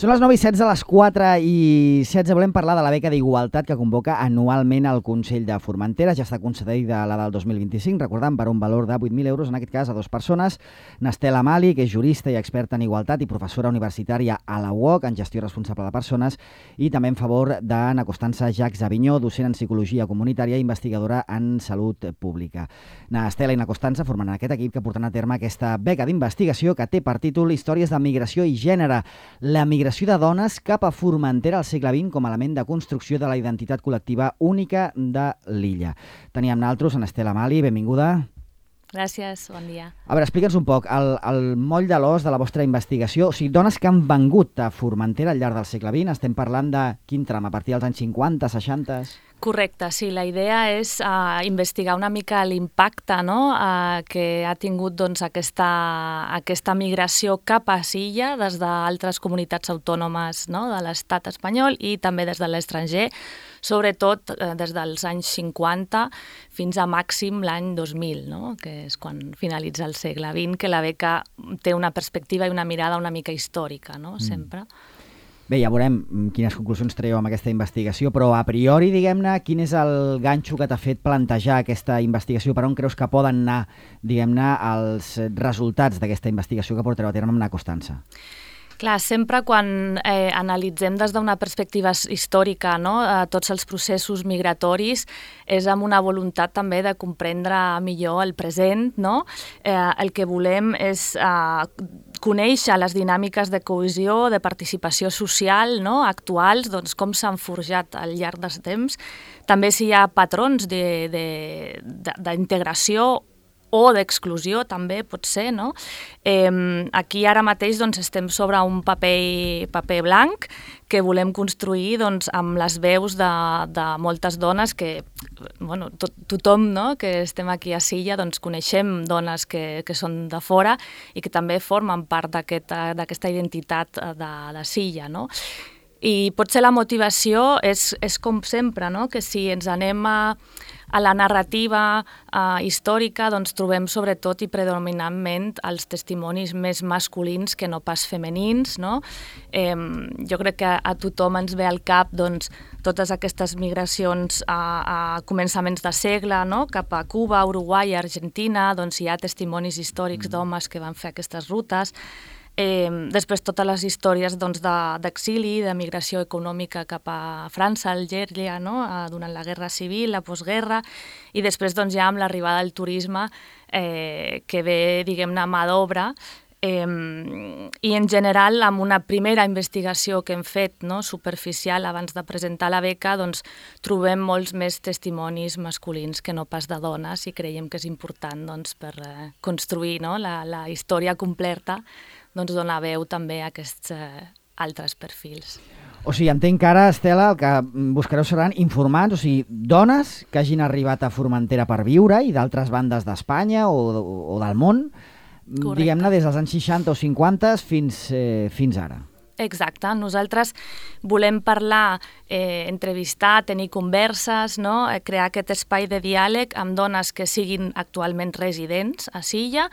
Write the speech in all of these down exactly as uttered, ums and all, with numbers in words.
Són les nou i setze, a les quatre i setze volem parlar de la beca d'igualtat que convoca anualment el Consell de Formentera. Ja està concedida la del dos mil vint-i-cinc, recordant, per un valor de vuit mil euros, en aquest cas a dues persones. Nestel Amali, que és jurista i experta en igualtat i professora universitària a la U O C en gestió responsable de persones, i també en favor d'Anna Costança Jacques Avinyó, docent en psicologia comunitària i investigadora en salut pública. Nestel i Anna Costança formen aquest equip que porten a terme aquesta beca d'investigació que té per títol Històries de migració i gènere. La migració de dones cap a Formentera al segle vint com a element de construcció de la identitat col·lectiva única de l'illa. Teníem naltros en Nestel Amali, benvinguda. Gràcies, bon dia. A veure, explica'ns un poc el, el moll de l'os de la vostra investigació. O sigui, dones que han vengut a Formentera al llarg del segle vint, estem parlant de quin tram, a partir dels anys cinquanta, seixanta... Correcte, sí. La idea és uh, investigar una mica l'impacte, no? uh, que ha tingut doncs, aquesta, aquesta migració cap a Silla des d'altres comunitats autònomes, no? De l'estat espanyol i també des de l'estranger, sobretot eh, des dels anys cinquanta fins a màxim l'any dos mil, no? Que és quan finalitza el segle vint, que la beca té una perspectiva i una mirada una mica històrica, no? Sempre. Mm. Bé, ja veurem quines conclusions traieu amb aquesta investigació, però a priori, diguem-ne, quin és el ganxo que t'ha fet plantejar aquesta investigació? Per on creus que poden anar, diguem-ne, els resultats d'aquesta investigació que portareu a terme amb Anna Costança? Clar, sempre quan eh, analitzem des d'una perspectiva històrica, no, eh, tots els processos migratoris, és amb una voluntat també de comprendre millor el present, no? Eh, el que volem és eh, conèixer les dinàmiques de cohesió, de participació social, no? Actuals, doncs com s'han forjat al llarg dels temps. També si hi ha patrons d'integració o d'exclusió, també pot ser, no? Eh, aquí ara mateix doncs, estem sobre un paper, paper blanc que volem construir doncs, amb les veus de, de moltes dones que, bueno, to, tothom, no? Que estem aquí a Silla, doncs coneixem dones que, que són de fora i que també formen part d'aquesta aquest, identitat de, de Silla, no? I potser la motivació és, és com sempre, no? Que si ens anem a a la narrativa uh, històrica doncs, trobem sobretot i predominantment els testimonis més masculins que no pas femenins, no? Eh, jo crec que a tothom ens ve al cap doncs, totes aquestes migracions a, a començaments de segle, no? Cap a Cuba, Uruguai, Argentina, doncs hi ha testimonis històrics d'homes que van fer aquestes rutes. Eh, després totes les històries doncs, d'exili, de, de migració econòmica cap a França, Algèria, no? Durant la guerra civil, la postguerra, i després doncs, ja amb l'arribada del turisme eh, que ve, diguem-ne, a mà d'obra, eh, i en general amb una primera investigació que hem fet, no? Superficial abans de presentar la beca, doncs, trobem molts més testimonis masculins que no pas de dones i creiem que és important doncs, per eh, construir, no? la, la història completa, doncs donar veu també a aquests eh, altres perfils. O sigui, entenc que ara, Estela, el que buscareu seran informats, o sigui, dones que hagin arribat a Formentera per viure i d'altres bandes d'Espanya o, o, o del món, diguem-ne, des dels anys seixanta o cinquanta fins, eh, fins ara. Exacte. Nosaltres volem parlar, eh, entrevistar, tenir converses, no? Crear aquest espai de diàleg amb dones que siguin actualment residents a Silla,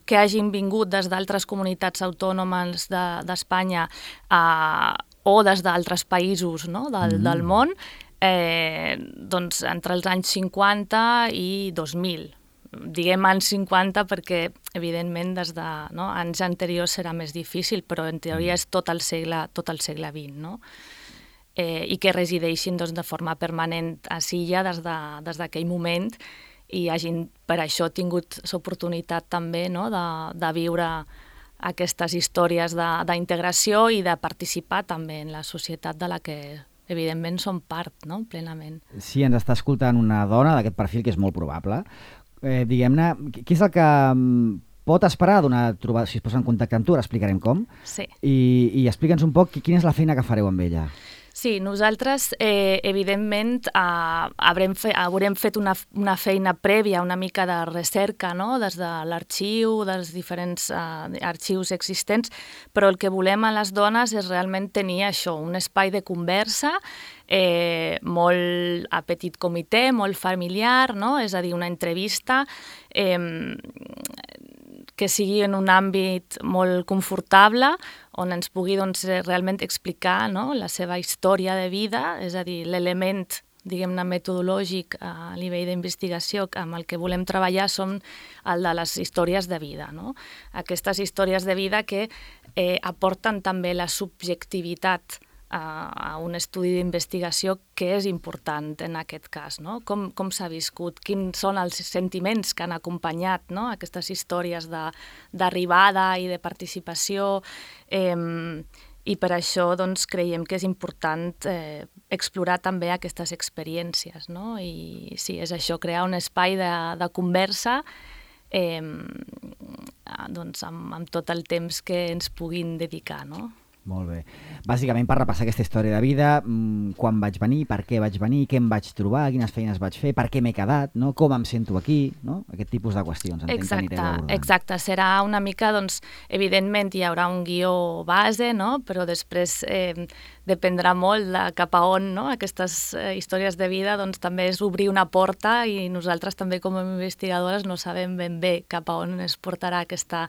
que hagin vingut des d'altres comunitats autònomes d'Espanya de, eh, o des d'altres països, no? del, mm. del món, eh, doncs entre els anys cinquanta i dos mil. Diguem anys cinquanta perquè, evidentment, des de no, anys anteriors serà més difícil, però en teoria és tot el segle, tot el segle vint, no? Eh, i que resideixin doncs, de forma permanent a Silla des d'aquell de, moment i hagin per això tingut l'oportunitat també no, de, de viure aquestes històries d'integració i de participar també en la societat de la que evidentment som part, no? Plenament. Sí, ens està escoltant una dona d'aquest perfil que és molt probable. Eh, diguem-ne, què és el que pot esperar d'una trobada? Si es posa en contacte amb tu, ara explicarem com. Sí. I, i explica'ns un poc quina és la feina que fareu amb ella. Sí, nosaltres, eh, evidentment, eh, haurem, fe, haurem fet una, una feina prèvia, una mica de recerca, no? Des de l'arxiu, dels diferents eh, arxius existents, però el que volem a les dones és realment tenir això, un espai de conversa eh, molt a petit comitè, molt familiar, no? És a dir, una entrevista eh, que sigui en un àmbit molt confortable, on ens pugui doncs, realment explicar, no?, la seva història de vida, és a dir, l'element, diguem-ne, metodològic a nivell d'investigació amb el que volem treballar són el de les històries de vida, no? Aquestes històries de vida que eh, aporten també la subjectivitat a, a un estudi d'investigació que és important en aquest cas, no? Com, com s'ha viscut, quins són els sentiments que han acompanyat, no?, aquestes històries d'arribada i de participació, eh, i per això doncs, creiem que és important eh, explorar també aquestes experiències, no? I sí, és això, crear un espai de, de conversa eh, doncs, amb, amb tot el temps que ens puguin dedicar, no? Molt bé. Bàsicament per repassar aquesta història de vida, quan vaig venir, per què vaig venir, què em vaig trobar, quines feines vaig fer, per què m'he quedat, no? Com em sento aquí, no? Aquest tipus de qüestions. Exacte, exacte. Serà una mica, doncs, evidentment hi haurà un guió base, no? Però després eh, dependrà molt de cap a on, no? Aquestes eh, històries de vida, doncs també és obrir una porta i nosaltres també com a investigadores no sabem ben bé cap a on es portarà aquesta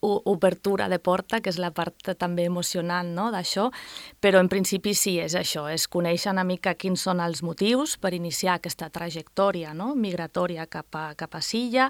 obertura de porta, que és la part també emocionant, no?, d'això, però en principi sí, és això, és conèixer una mica quins són els motius per iniciar aquesta trajectòria, no?, migratòria cap a, cap a Silla,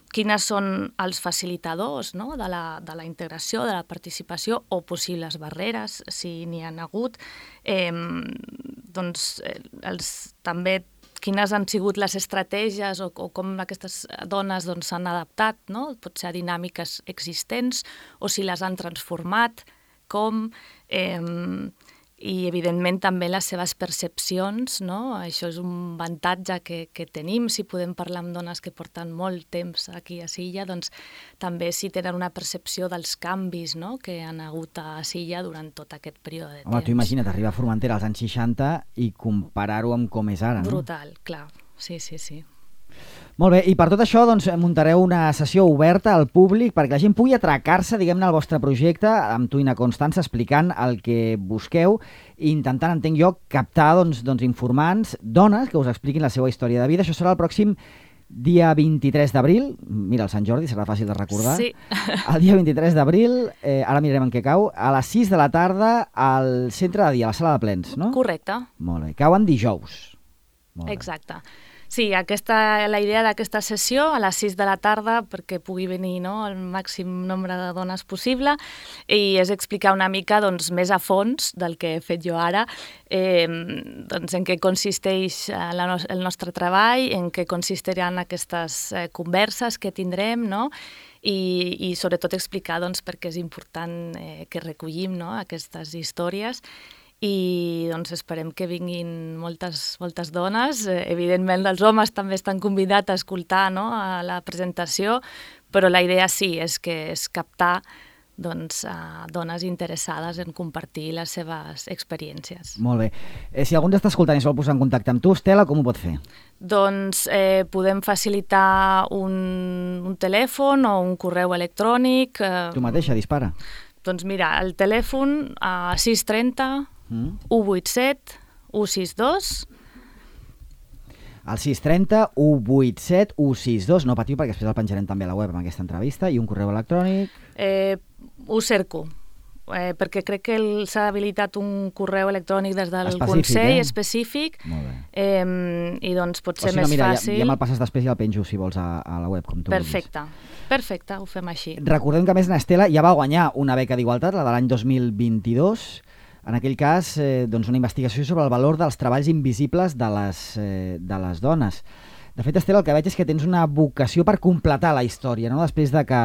quines són els facilitadors, no?, de la, de la integració, de la participació o possibles barreres, si n'hi ha hagut, eh, doncs els, també quines han sigut les estratègies o, o com aquestes dones doncs, s'han adaptat, no? Potser a dinàmiques existents, o si les han transformat, com, eh, i evidentment també les seves percepcions, no? Això és un avantatge que, que tenim, si podem parlar amb dones que porten molt temps aquí a Silla, doncs també si tenen una percepció dels canvis, no?, que han hagut a Silla durant tot aquest període de Home, temps. tu imagina't arribar a Formentera als anys seixanta i comparar-ho amb com és ara, no? Brutal, clar, sí, sí, sí. Molt bé, i per tot això doncs, muntareu una sessió oberta al públic perquè la gent pugui atracar-se, diguem-ne, al vostre projecte, amb tu i na Constança, explicant el que busqueu i intentant, entenc jo, captar doncs, doncs, informants, dones que us expliquin la seva història de vida. Això serà el pròxim dia vint-i-tres d'abril, mira, el Sant Jordi, serà fàcil de recordar. Sí. El dia vint-i-tres d'abril, eh, ara mirarem en què cau, a les sis de la tarda al centre de dia, a la sala de plens, no? Correcte. Molt bé, cauen dijous. Molt bé. Exacte. Sí, aquesta, la idea d'aquesta sessió a les sis de la tarda perquè pugui venir, no?, el màxim nombre de dones possible, i és explicar una mica doncs, més a fons del que he fet jo ara, eh, doncs, en què consisteix la no el nostre treball, en què consistiran aquestes eh, converses que tindrem, no?, i, i sobretot explicar doncs, per què és important eh, que recollim, no?, aquestes històries. I doncs esperem que vinguin moltes, moltes dones. Eh, evidentment els homes també estan convidats a escoltar, no?, a la presentació, però la idea sí, és que és captar doncs, a dones interessades en compartir les seves experiències. Molt bé. Eh, si algú ens està escoltant i es vol posar en contacte amb tu, Estela, com ho pot fer? Doncs eh, podem facilitar un, un telèfon o un correu electrònic. Eh, tu mateixa, dispara. Doncs mira, el telèfon a sis trenta Mm. u vuitanta-set u seixanta dos. El sis trenta u vuitanta-set u seixanta dos, no patiu perquè després el penjarem també a la web amb aquesta entrevista, i un correu electrònic. Eh, ho cerco, eh, perquè crec que s'ha habilitat un correu electrònic des del específic, Consell eh? específic, Molt bé. eh, i doncs pot ser o si no, més mira, fàcil. Ja, ja me'l passes després i el penjo, si vols, a, a la web, com tu Perfecte, vulguis. perfecte, ho fem així. Recordem que, a més, Estela ja va guanyar una beca d'igualtat, la de l'any dos mil vint-i-dos, en aquell cas, eh, doncs una investigació sobre el valor dels treballs invisibles de les, eh, de les dones. De fet, Estela, el que veig és que tens una vocació per completar la història, no? Després de que,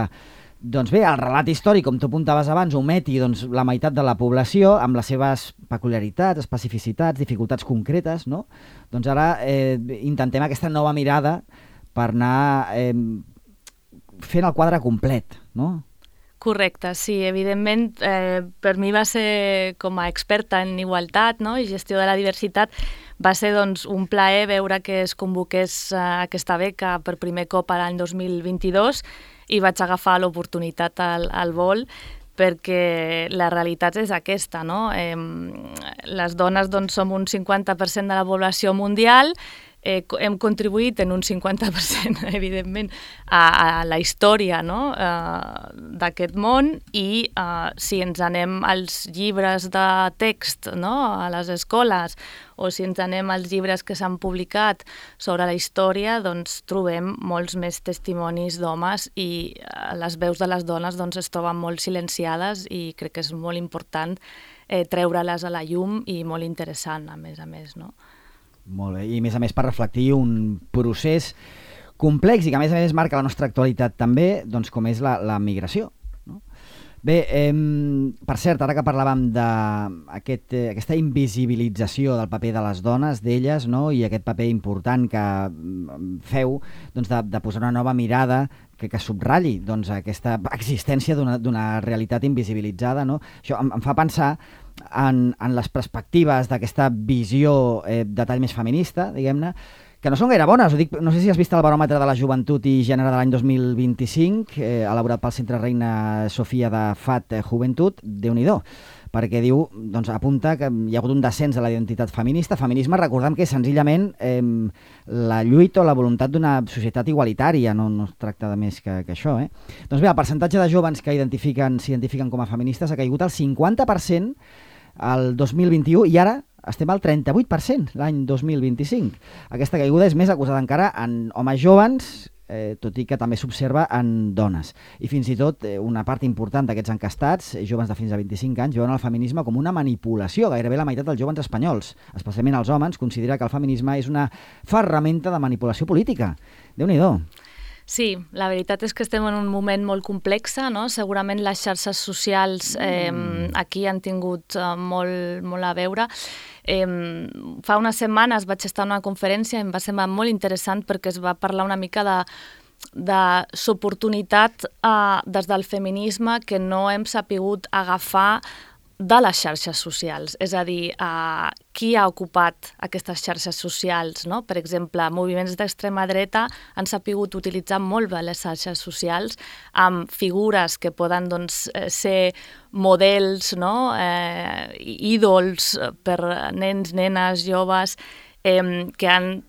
doncs bé, el relat històric, com tu apuntaves abans, ometi doncs, la meitat de la població amb les seves peculiaritats, especificitats, dificultats concretes, no? Doncs ara eh, intentem aquesta nova mirada per anar eh, fent el quadre complet, no? Correcte, sí, evidentment eh, per mi va ser com a experta en igualtat, no?, i gestió de la diversitat, va ser doncs, un plaer veure que es convoqués eh, aquesta beca per primer cop l'any dos mil vint-i-dos, i vaig agafar l'oportunitat al, al vol, perquè la realitat és aquesta, no? Eh, les dones doncs, som un cinquanta per cent de la població mundial, eh, hem contribuït en un cinquanta per cent, evidentment, a, a la història, no? eh, d'aquest món, i eh, si ens anem als llibres de text, no? A les escoles, o si ens anem als llibres que s'han publicat sobre la història, doncs trobem molts més testimonis d'homes, i eh, les veus de les dones doncs, es troben molt silenciades, i crec que és molt important eh, treure-les a la llum, i molt interessant, a més a més, no? Molt bé, i a més a més per reflectir un procés complex i que a més a més marca la nostra actualitat també, doncs com és la, la migració. No? Bé, eh, per cert, ara que parlàvem d'aquesta eh, aquesta invisibilització del paper de les dones, d'elles, no? I aquest paper important que feu doncs de, de posar una nova mirada que, que subratlli doncs, aquesta existència d'una realitat invisibilitzada, no? Això em, em fa pensar en, en les perspectives d'aquesta visió eh, de tall més feminista, diguem-ne, que no són gaire bones. Ho dic, no sé si has vist el baròmetre de la joventut i gènere de l'any dos mil vint-i-cinc, eh, elaborat pel Centre Reina Sofia de F A T Joventut, Déu-n'hi-do, perquè diu, doncs apunta que hi ha hagut un descens de la identitat feminista. Feminisme, recordem que és senzillament eh, la lluita o la voluntat d'una societat igualitària, no, no es tracta de més que, que això. Eh? Doncs bé, el percentatge de joves que identifiquen, s'identifiquen com a feministes ha caigut al cinquanta per cent el dos mil vint-i-u, i ara estem al trenta-vuit per cent l'any dos mil vint-i-cinc. Aquesta caiguda és més acusada encara en homes joves, eh, tot i que també s'observa en dones. I fins i tot eh, una part important d'aquests encastats, eh, joves de fins a vint-i-cinc anys, veuen el feminisme com una manipulació. Gairebé la meitat dels joves espanyols, especialment els homes, considera que el feminisme és una ferramenta de manipulació política. Déu-n'hi-do. Sí, la veritat és que estem en un moment molt complex, no? Segurament les xarxes socials eh, aquí han tingut eh, molt, molt a veure. Eh, fa unes setmanes vaig estar en una conferència i em va semblar molt interessant perquè es va parlar una mica de de l'oportunitat eh, des del feminisme que no hem sapigut agafar de les xarxes socials, és a dir, eh, qui ha ocupat aquestes xarxes socials, no? Per exemple, moviments d'extrema dreta han sapigut utilitzar molt bé les xarxes socials amb figures que poden doncs, ser models, no? eh, ídols per nens, nenes, joves, eh, que han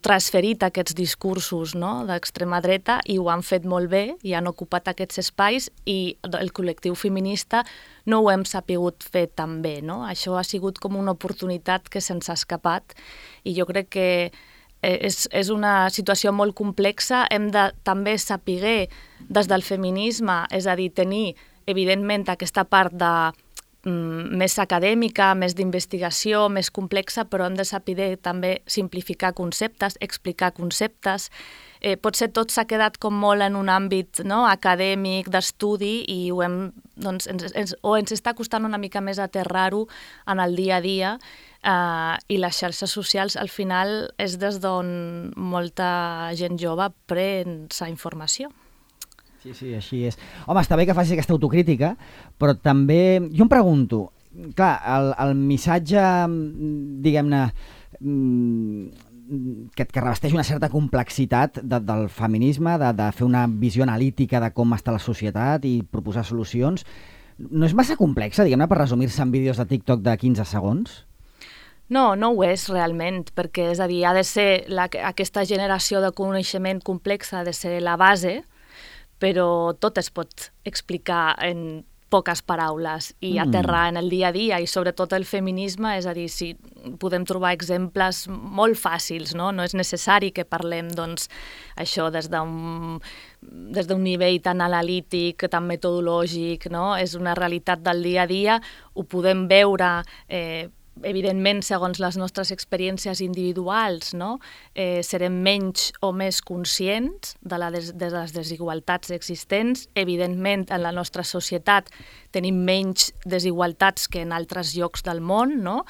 transferit aquests discursos, no? d'extrema dreta, i ho han fet molt bé i han ocupat aquests espais, i el col·lectiu feminista no ho hem sapigut fer tan bé. No? Això ha sigut com una oportunitat que se'ns ha escapat, i jo crec que és, és una situació molt complexa. Hem de també saber des del feminisme, és a dir, tenir evidentment aquesta part de més acadèmica, més d'investigació, més complexa, però hem de saber també simplificar conceptes, explicar conceptes. Eh, potser tot s'ha quedat com molt en un àmbit, no? acadèmic, d'estudi, i ho hem, doncs, ens, ens, o ens està costant una mica més aterrar-ho en el dia a dia, eh, i les xarxes socials al final és des d'on molta gent jove pren sa informació. Sí, sí, així és. Home, està bé que facis aquesta autocrítica, però també jo em pregunto, clar, el, el missatge, diguem-ne, que, que revesteix una certa complexitat de, del feminisme, de, de fer una visió analítica de com està la societat i proposar solucions, no és massa complexa, diguem-ne, per resumir-se en vídeos de TikTok de quinze segons? No, no ho és realment, perquè és a dir, ha de ser la, aquesta generació de coneixement complex ha de ser la base, però tot es pot explicar en poques paraules i mm. aterrar en el dia a dia, i sobretot el feminisme, és a dir, si podem trobar exemples molt fàcils, no? No és necessari que parlem, doncs, això des d'un des d'un nivell tan analític, tan metodològic, no? És una realitat del dia a dia, ho podem veure eh, evidentment, segons les nostres experiències individuals, no? eh, serem menys o més conscients de, la des, de les desigualtats existents. Evidentment, en la nostra societat tenim menys desigualtats que en altres llocs del món, no?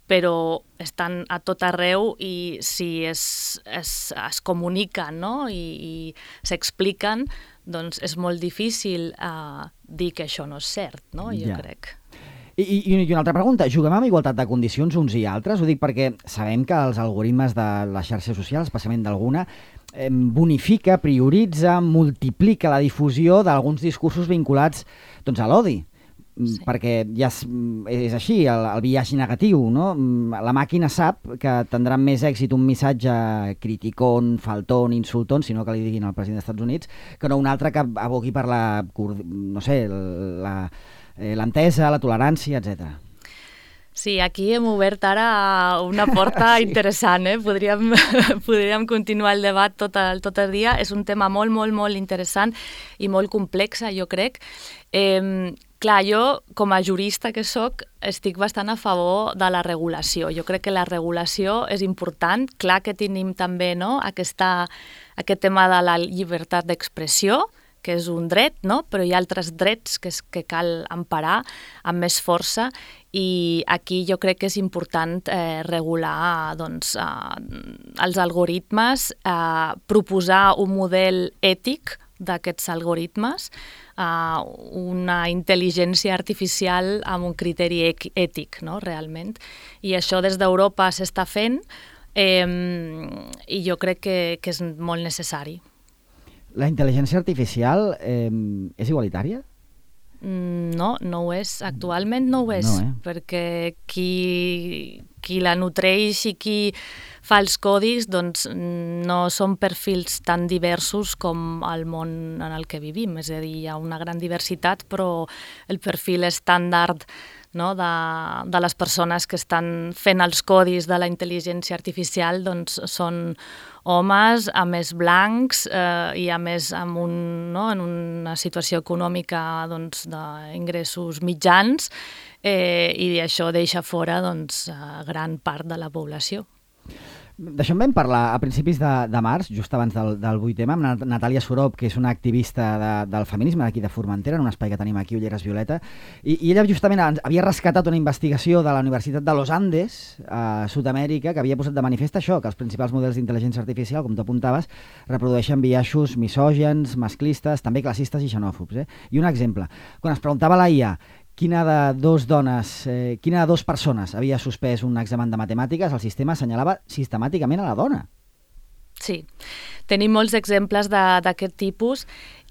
Però estan a tot arreu, i si es, es, es comuniquen, no? I, i s'expliquen, doncs és molt difícil eh, dir que això no és cert, no? Jo ja. crec. I, i, I una altra pregunta, juguem amb igualtat de condicions uns i altres? Ho dic perquè sabem que els algoritmes de les xarxes socials, especialment d'alguna, eh, bonifica, prioritza, multiplica la difusió d'alguns discursos vinculats doncs, a l'odi. Sí. perquè ja és, és així, el, el biaix negatiu, no? La màquina sap que tindrà més èxit un missatge criticón, faltón, insultón, sinó que li diguin al president dels Estats Units, que no un altre que aboqui per la, no sé, la, l'entesa, la tolerància, etcètera. Sí, aquí hem obert ara una porta sí. interessant, eh? Podríem, podríem continuar el debat tot el, tot el dia. És un tema molt, molt, molt interessant i molt complex, jo crec. Eh, clar, jo, com a jurista que sóc, estic bastant a favor de la regulació. Jo crec que la regulació és important. Clar que tenim també, no?, aquesta, aquest tema de la llibertat d'expressió, que és un dret, no? Però hi ha altres drets que, és, que cal emparar amb més força, i aquí jo crec que és important eh, regular doncs, eh, els algoritmes, eh, proposar un model ètic d'aquests algoritmes, eh, una intel·ligència artificial amb un criteri ètic, no? Realment. I això des d'Europa s'està fent, eh, i jo crec que, que és molt necessari. La intel·ligència artificial eh, és igualitària? No, no ho és. Actualment no ho és, no, eh? Perquè qui, qui la nutreix i qui fa els codis doncs, no són perfils tan diversos com el món en el que vivim. És a dir, hi ha una gran diversitat, però el perfil estàndard, no, de, de les persones que estan fent els codis de la intel·ligència artificial doncs, són homes, a més blancs eh, i a més amb un, no, en una situació econòmica doncs, d'ingressos mitjans, eh, i això deixa fora doncs, gran part de la població. D'això en vam parlar a principis de, de març, just abans del, del vuit eme, amb Natàlia Sorop, que és una activista de, del feminisme d'aquí de Formentera, en un espai que tenim aquí, Ulleres Violeta, i, i ella justament havia rescatat una investigació de la Universitat de Los Andes, a Sud-amèrica, que havia posat de manifest això, que els principals models d'intel·ligència artificial, com tu apuntaves, reprodueixen biaixos misògens, masclistes, també classistes i xenòfobs. Eh? I un exemple, quan es preguntava a la I A quina de dos dones, eh, quina de dos persones havia suspès un examen de matemàtiques, el sistema assenyalava sistemàticament a la dona. Sí, tenim molts exemples d'aquest tipus,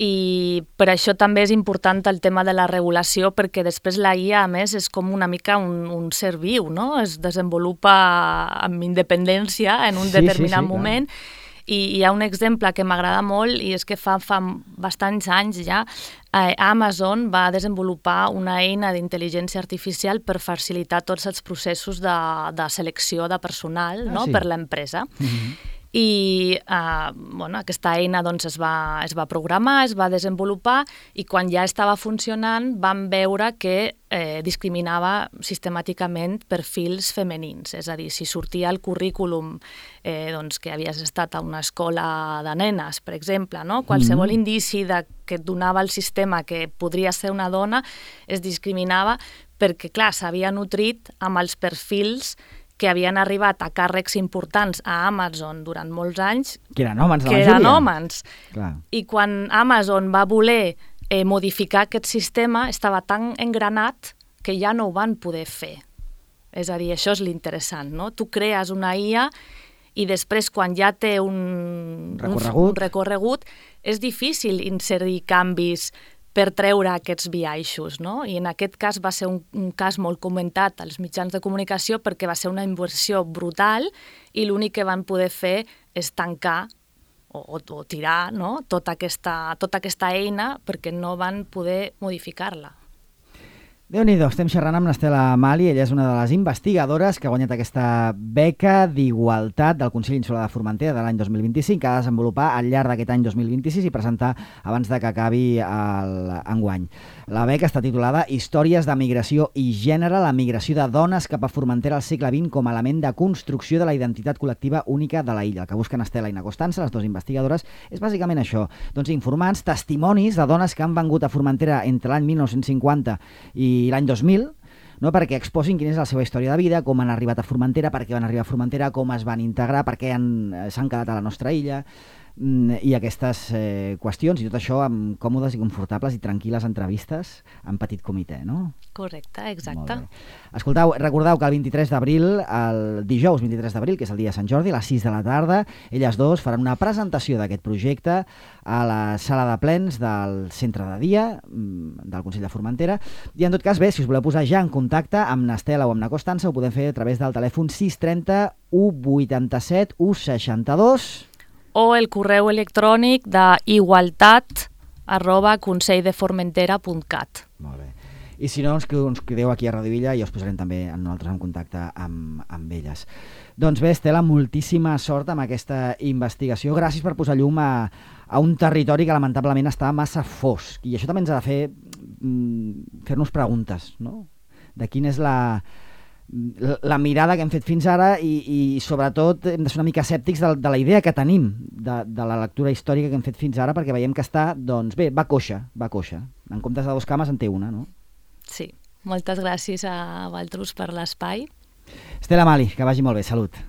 i per això també és important el tema de la regulació, perquè després la I A, a més, és com una mica un, un ser viu, no? Es desenvolupa amb independència en un sí, determinat sí, sí, moment, clar. I hi ha un exemple que m'agrada molt, i és que fa, fa bastants anys ja eh, Amazon va desenvolupar una eina d'intel·ligència artificial per facilitar tots els processos de, de selecció de personal, ah, no? Sí. Per l'empresa. Mm-hmm. I eh, bueno, aquesta eina doncs, es, va, es va programar, es va desenvolupar, i quan ja estava funcionant vam veure que eh, discriminava sistemàticament perfils femenins. És a dir, si sortia al currículum eh, doncs, que havies estat a una escola de nenes, per exemple, no? Qualsevol mm-hmm. indici de, que et donava el sistema que podria ser una dona es discriminava, perquè, clar, s'havia nutrit amb els perfils que havien arribat a càrrecs importants a Amazon durant molts anys, que eren homes, la que majoria. eren homes. Clar. I quan Amazon va voler eh, modificar aquest sistema, estava tan engranat que ja no ho van poder fer. És a dir, això és l'interessant, no? Tu crees una I A i després, quan ja té un recorregut, un recorregut és difícil inserir canvis per treure aquests biaixos, no? I en aquest cas va ser un, un cas molt comentat als mitjans de comunicació, perquè va ser una inversió brutal i l'únic que van poder fer és tancar o, o, o tirar, no? tota, aquesta, tota aquesta eina, perquè no van poder modificar-la. Déu-n'hi-do, estem xerrant amb l'Estela Mali, ella és una de les investigadores que ha guanyat aquesta beca d'igualtat del Consell Insular de Formentera de l'any dos mil vint-i-cinc, que ha de desenvolupar al llarg d'aquest any dos mil vint-i-sis i presentar abans de que acabi l'enguany. La beca està titulada Històries de migració i gènere, la migració de dones cap a Formentera al segle vint com a element de construcció de la identitat col·lectiva única de la illa. El que busquen Estela i Na Costança, les dues investigadores, és bàsicament això, doncs informans, testimonis de dones que han vengut a Formentera entre l'any mil nou-cents cinquanta i i l'any dos mil, no? Perquè exposin quina és la seva història de vida, com han arribat a Formentera, per què van arribar a Formentera, com es van integrar, per què s'han quedat a la nostra illa. i aquestes eh, qüestions, i tot això amb còmodes i confortables i tranquil·les entrevistes en petit comitè, no? Correcte, exacte. Escoltau, recordeu que el vint-i-tres d'abril, el dijous vint-i-tres d'abril, que és el dia de Sant Jordi, a les sis de la tarda, elles dos faran una presentació d'aquest projecte a la sala de plens del centre de dia del Consell de Formentera, i en tot cas, bé, si us voleu posar ja en contacte amb n'Estela o amb na Costança, ho podem fer a través del telèfon sis trenta, u vuitanta-set, u seixanta-dos... o el correu electrònic de igualtat arroba conselldeformentera punt cat. Molt bé. I si no, ens, ens crideu aquí a Radio Villa i us posarem també a nosaltres en contacte amb, amb elles. Doncs bé, Estela, moltíssima sort amb aquesta investigació. Gràcies per posar llum a, a un territori que lamentablement està massa fosc. I això també ens ha de fer mm, fer-nos preguntes, no? De quina és la... la mirada que hem fet fins ara i, i sobretot hem de ser una mica escèptics de, de la idea que tenim de, de la lectura històrica que hem fet fins ara, perquè veiem que està, doncs bé, va coixa, va coixa. En comptes de dos cames en té una, no? Sí, moltes gràcies a vosaltres per l'espai. Estela Mali, que vagi molt bé, salut.